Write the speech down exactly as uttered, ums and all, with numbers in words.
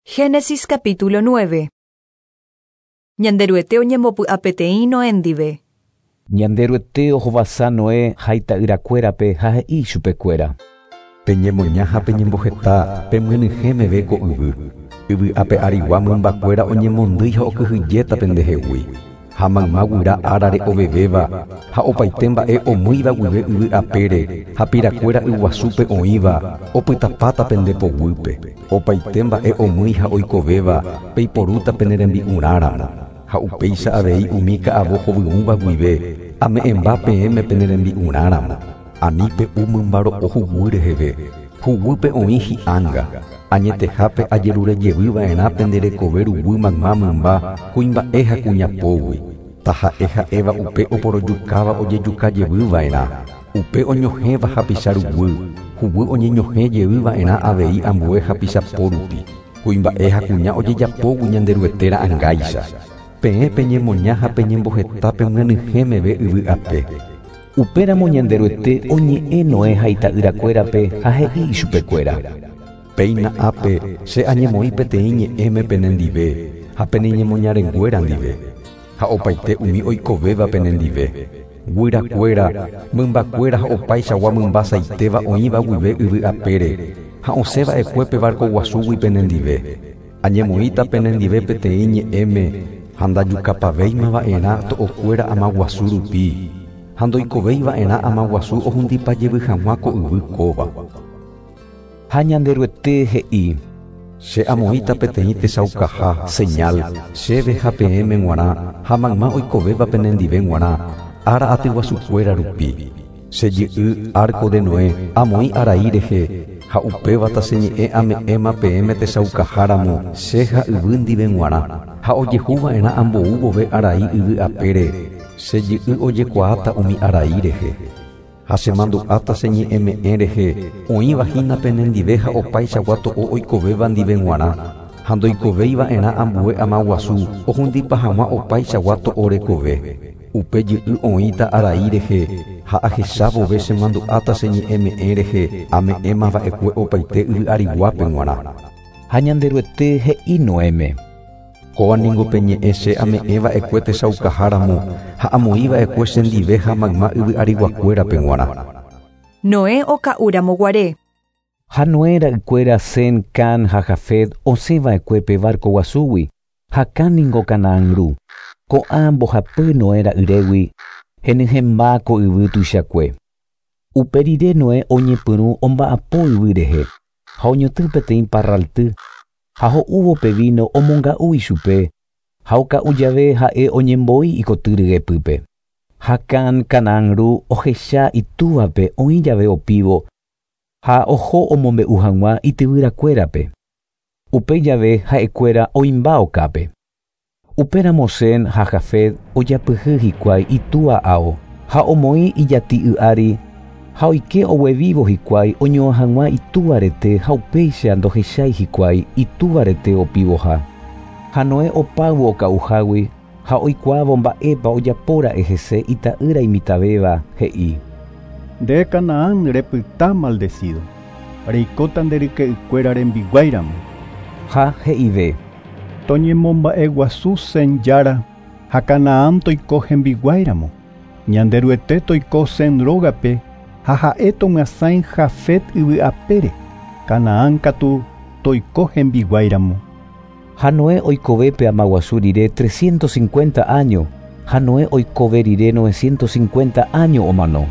Génesis capítulo nueve. Ñanderuete oñembopy'apeteĩ Noé ndive. Ñanderuete ohovasa Noé ha ita'yrakuérape ha he'i chupekuéra. Peñemoña ha peñemboheta pemyenyhẽ meve ko yvy. Yvy ape arigua mymbakuéra oñemondýi ha okyhyjéta pendehegui. Ha mayma guyra árare ovevéva ha opaite mba'e omýiva guive yvy apére ha pirakuéra yguasúpe oĩva opytapáta pende poguýpe. Opaite mba'e omýi ha oikovéva peiporúta pene rembi'urãramo. Ha upéicha avei umi ka'avo hovyũva guive ame'ẽmba peẽme pene rembi'urãramo. Ani pe'u mymba ro'o huguy reheve, huguýpe oĩ hi'ánga. Añetehápe ajerurejevýva'erã pende rekove ruguy mayma mymba kuimba'e ha kuñapógui. Taha'e ha'éva upe oporojukáva ojejukajevýva'erã. Upe oñohẽva hapicha ruguy, huguy oñeñohẽjevýva'erã avei ambue hapichapo rupi. Kuimba'e ha kuña ojejapógui Ñanderuete ra'ãngáicha. Peẽ peñemoña ha peñemboheta pemyenyhẽ meve yvy ape. Upéramo Ñanderuete oñe'ẽ Noé ha ita'yrakuérape ha he'i ichupekuéra. Péina ápe che añemoĩ peteĩ ñe'ẽme penendive ha peneñemoñarenguéra ndive. Ha opaite umi oikovéva penendive. Guyrakuéra, mymbakuéra ha opaichagua mymba saitéva oĩva guive yvy apére ha osẽva'ekue pe barco guasúgui penendive. Añemoĩta penendive peteĩ ñe'ẽme ha ndajukapavéimava'erã to'okuéra amaguasu rupi. Ha ndoikovéiva'erã amaguasu ohundipajevy hag̃ua ko yvy kóva. Ha Ñanderuete he'i. Che amoĩta peteĩ techaukaha señal chéve ha peẽme g̃uarã ha mayma oikovéva penendive g̃uarã ára atyguasukuéra rupi. Che jy'y arco de Noé amoĩ arai rehe ha upévata che ñe'ẽ ame'ẽma peẽme techaukaháramo che ha yvy ndive g̃uarã ha ojehúva'erã ambou vove arai yvy apére che jy'y ojekuaáta umi arai rehe. Ha chemandu'áta che ñe'ẽme'ẽ rehe oĩva hína penendive ha opaichagua to'o oikovéva ndive g̃uarã ha ndoikovéiva'erã ambue amaguasu ohundipa hag̃ua opaichagua to'o rekove. Upe jy'y oĩta arai rehe ha ahecha vove chemandu'áta che ñe'ẽme'ẽ rehe ame'ẽmava'ekue opaite yvy ariguápe g̃uarã. Ha Ñanderuete he'i Noéme. Kóva ningo pe ñe'ẽ che ame'ẽva'ekue techaukaháramo ha amoĩva'ekue chendive ha mayma yvy ariguakuérape g̃uarã. Noé oka'úramo guare. Ha Noé ra'ykuéra Sem, Cam ha Jafet osẽva'ekue pe barco guasúgui ha Cam ningo Canaán ru. Ko'ã mbohapy Noé ra'yrégui henyhẽmba ko yvy tuichakue. Upe rire Noé oñepyrũ omba'apo yvy rehe ha oñotỹ peteĩ parralty ha ho'úvo pe vino omonga'u ichupe ha oka'u jave ha'e oñembo'i ikoty ryepýpe. Ha Cam Canaán ru ohecha itúvape oĩ jave opívo ha oho omombe'u hag̃ua ityvyrakuérape. Upe jave ha'ekuéra oĩmba okápe. Upéramo Sem ha Jafet ojapyhy hikuái itúva ao ha omoĩ ijati'y ári ha oike oguevívo hikuái oñoa hag̃ua itúva rete ha upéicha ndohechái hikuái itúva rete opívoha. Ha Noé opáyvo oka'uhágui ha oikuaávo mba'épa ojapóra'e hese ita'ýra imitãvéva he'i. Nde Canaán repyta maldecido, reikóta nde ryke'ykuéra rembiguáiramo. Ha he'ive. Toñemomba'eguasu Sem jára ha Canaán toiko hembiguáiramo. Ñanderuete toiko Sem rógape ha ha'e tomyasãi Jafet yvy apére. Canaán katu toiko hembiguáiramo. Ha Noé oikove pe amaguasu rire trescientos cincuenta años. Ha Noé oikove rire novecientos cincuenta años omano.